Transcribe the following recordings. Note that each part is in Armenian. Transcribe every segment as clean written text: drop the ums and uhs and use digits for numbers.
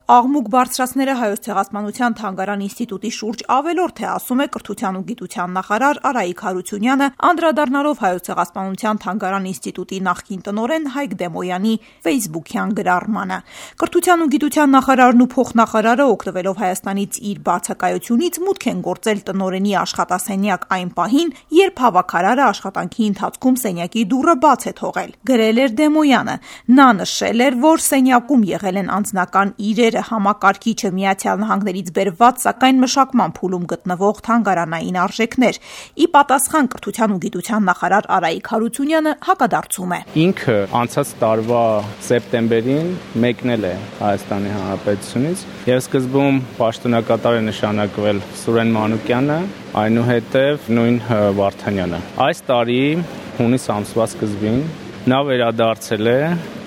Աղմուկ բարձրացնելը Հայոց ցեղասպանության թանգարան ինստիտուտի շուրջ ավելորդ է, ասում է Կրթության ու գիտության նախարար Արայիկ Հարությունյանը, անդրադառնալով Հայոց ցեղասպանության թանգարան ինստիտուտի նախկին տնօրեն Հայկ Դեմոյանի ֆեյսբուքյան գրառմանը։ Կրթության ու գիտության նախարարն ու փոխնախարարը, օգտվելով Հայաստանից իր բացակայությունից, մուտք են գործել տնօրենի աշխատասենյակ այն պահին, երբ հավաքարարը աշխատանքի ընթացքում սենյակի դուռը բաց է թողել։ Գրել էր Դեմոյանը։ Նա նշել էր, որ սենյակում եղել են անձնական իրեր, համակարգիչը Միացյալ Նահանգներից բերված, սակայն մշակման փուլում գտնվող թանգարանային արժեքներ։ Ի պատասխան Կրթության ու գիտության նախարար Արայիկ Հարությունյանը հակադարձում է։ Ինքը անցած տարվա սեպտեմբերին մեկնել է Հայաստանի Հանրապետությունից եւ սկզբում պաշտոնակատար է նշանակվել Սուրեն Մանուկյանը, այնուհետև նույն Վարդանյանը։ Այս տարի հունիս ամսվա սկզբին նա վերադարձել է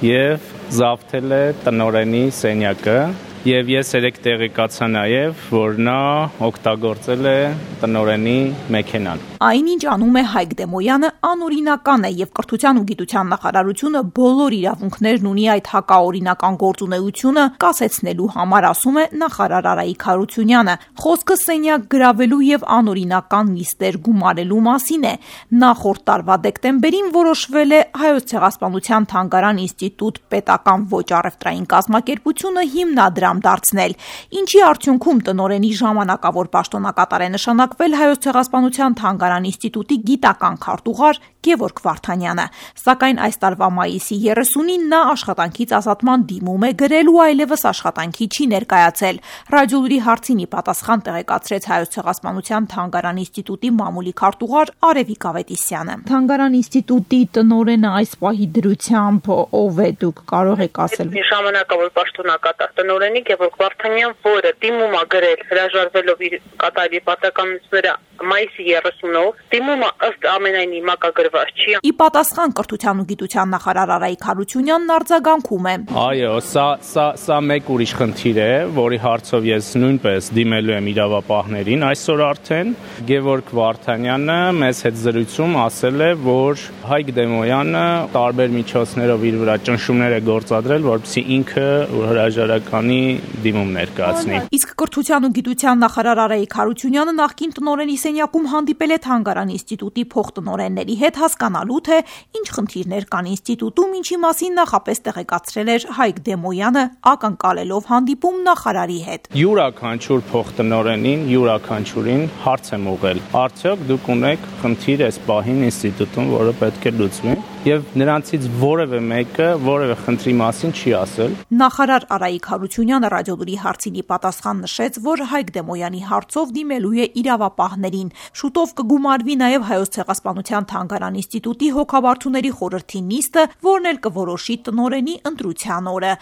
եւ զավթել է տնօրենի սենյակը եւ ես երեք տեղեկացա նաեւ, որ նա օգտագործել է տնօրենի մեքենան։ Այնինչ անում է Հայկ Դեմոյանը անօրինական է եւ Կրթության ու գիտության նախարարությունը բոլոր իրավունքներն ունի այդ հակաօրինական գործունեությունը կասեցնելու համար, ասում է նախարար Արայիկ Հարությունյանը։ Խոսքը սենյակ գրավելու եւ անօրինական նիստեր գումարելու մասին է։ Նախորդ տարվա դեկտեմբերին որոշվել է Հայոց ցեղասպանության թանգարան ինստիտուտ պետական ոչ առևտրային կազմակերպությունը հիմնադրամ դարձնել, ինչի արդյունքում տնօրենի ժամանակավոր պաշտոնակատար է նշանակվել Հայոց ցեղասպանության թանգարան ինստիտուտի գիտական քարտուղար Գևորգ Վարդանյանը, սակայն այս տարվա մայիսի 30-ին նա աշխատանքից ազատման դիմում է գրել ու այլևս աշխատանքի չի ներկայացել։ Ռադիոլուրի հարցին ի պատասխան տեղեկացրեց Հայոց ցեղասպանության թանգարան ինստիտուտի մամուլի քարտուղար Արևիկ Ավետիսյանը։ Թանգարան ինստիտուտի տնօրենը այս պահի դրությամբ ով է, դուք կարող եք ասել։ Ժամանակավոր պաշտոնակատար տնօրենի Գևորգ Վարդանյան, որը դիմում է գրել հրաժարվելով իր կատարյալ պատասխանատվությունները մայիսի 30-ով, դիմումը ըստ ամենայնի մակագրված չի։ Ի պատասխան Կրթության ու գիտության նախարար Արայիկ Հարությունյանն արձագանքում է։ Այո, սա մեկ ուրիշ խնդիր է, որի հարցով ես նույնպես դիմելու եմ իրավապահներին այսօր արդեն։ Գևորգ Վարդանյանը մեզ հետ զրույցում ասել է, որ Հայկ Դեմոյանը տարբեր միջոցներով իր վրա ճնշումներ է գործադրել, որպեսզի ինքը հրաժարականի դիմում ներկայացնի։ Իսկ Կրթության ու գիտության նախարար Արայիկ Հարությունյանը նախկին տնօրենի սենյակում հանդիպել է թանգարան ինստիտուտի փոխտնօրենների հետ հասկանալու, թե ինչ խնդիրներ կան ինստիտուտում, ինչի մասին նախապես տեղեկացրել էր Հայկ Դեմոյանը, ակնկալելով հանդիպում նախարարի հետ։ Յուրաքանչյուր փոխտնօրենին, յուրաքանչյուրին հարց եմ ուղղել. արդյոք դուք ունեք խնդիր այս պահին ինստիտուտում, որը պետք է լուծվի, եւ նրանցից որևէ մեկը որևէ խնդրի մասին չի ասել։ Նախարար Արայիկ Հարությունյանը ռադիոլուրի հարցին ի պատասխան նշեց, որ Հայկ Դեմոյանի հարցով դիմելու է իրավապահներին։ Շուտով կգումարվի նաև Հայոց ցեղասպանության թանգարան ինստիտուտի հոգաբարձուների խորհրդի նիստը, որն էլ կորոշի տնօրենի ընտրության օրը։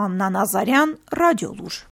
Աննա Նազարյան, Ռադիոլուր։